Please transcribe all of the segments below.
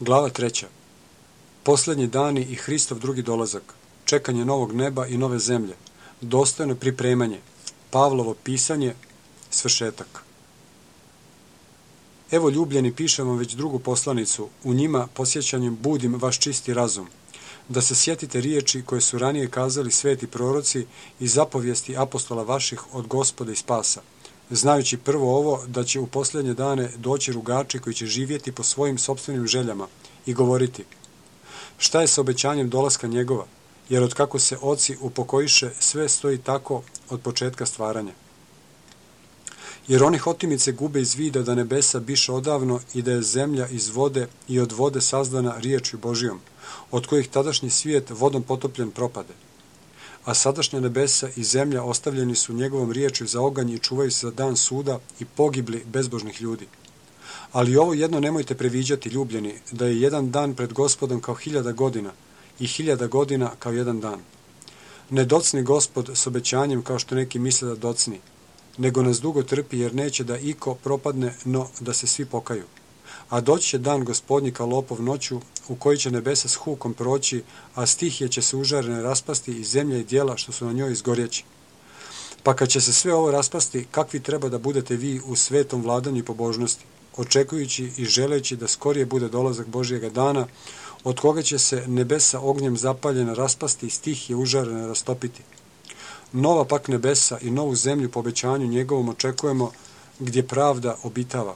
Glava 3. Posljednji dani i Hristov drugi dolazak, čekanje novog neba i nove zemlje, dostojno pripremanje, Pavlovo pisanje, svršetak. Evo ljubljeni, pišem vam već drugu poslanicu, u njima posjećanjem budim vaš čisti razum, da se sjetite riječi koje su ranije kazali sveti proroci i zapovijesti apostola vaših od Gospoda i spasa, znajući prvo ovo da će u posljednje dane doći rugači koji će živjeti po svojim sopstvenim željama i govoriti: šta je sa obećanjem dolaska njegova, jer otkako se oci upokojiše, sve stoji tako od početka stvaranja. Jer oni hotimice gube iz vida da nebesa biše odavno i da je zemlja iz vode i od vode sazdana riječju Božijom, od kojih tadašnji svijet vodom potopljen propade. A sadašnja nebesa i zemlja ostavljeni su njegovom riječju za oganj i čuvaju se za dan suda i pogibli bezbožnih ljudi. Ali ovo jedno nemojte previđati, ljubljeni, da je jedan dan pred Gospodom kao 1000 godina i 1000 godina kao jedan dan. Ne docni Gospod s obećanjem kao što neki misle da docni, nego nas dugo trpi jer neće da iko propadne, no da se svi pokaju. A doći će dan Gospodnji kao lopov noću, u koji će nebesa s hukom proći, a stihije će se užarene raspasti i zemlja i djela što su na njoj izgorjeći. Pa kad će se sve ovo raspasti, kakvi treba da budete vi u svetom vladanju i pobožnosti, očekujući i želeći da skorije bude dolazak Božjega dana, od koga će se nebesa ognjem zapaljena raspasti i stihije užarene rastopiti. Nova pak nebesa i novu zemlju po obećanju njegovom očekujemo, gdje pravda obitava.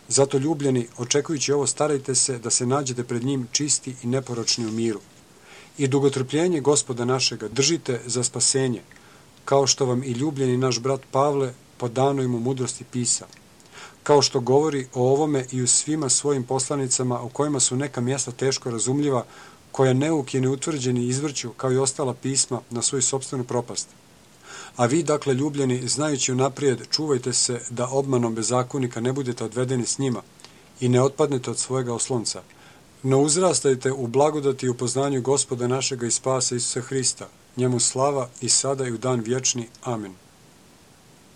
Zato, ljubljeni, očekujući ovo, starajte se da se nađete pred njim čisti i neporočni u miru. I dugotrpljenje Gospoda našega držite za spasenje, kao što vam i ljubljeni naš brat Pavle po danoj mu mudrosti pisa, kao što govori o ovome i u svima svojim poslanicama, u kojima su neka mjesta teško razumljiva, koja neuki i neutvrđeni izvrću, kao i ostala pisma, na svoju sopstvenu propast. A vi, dakle, ljubljeni, znajući unaprijed, čuvajte se da obmanom bezakonika ne budete odvedeni s njima i ne otpadnete od svojega oslonca. No uzrastajte u blagodati i upoznanju Gospoda našega i spasa Isusa Hrista, njemu slava i sada i u dan vječni. Amen.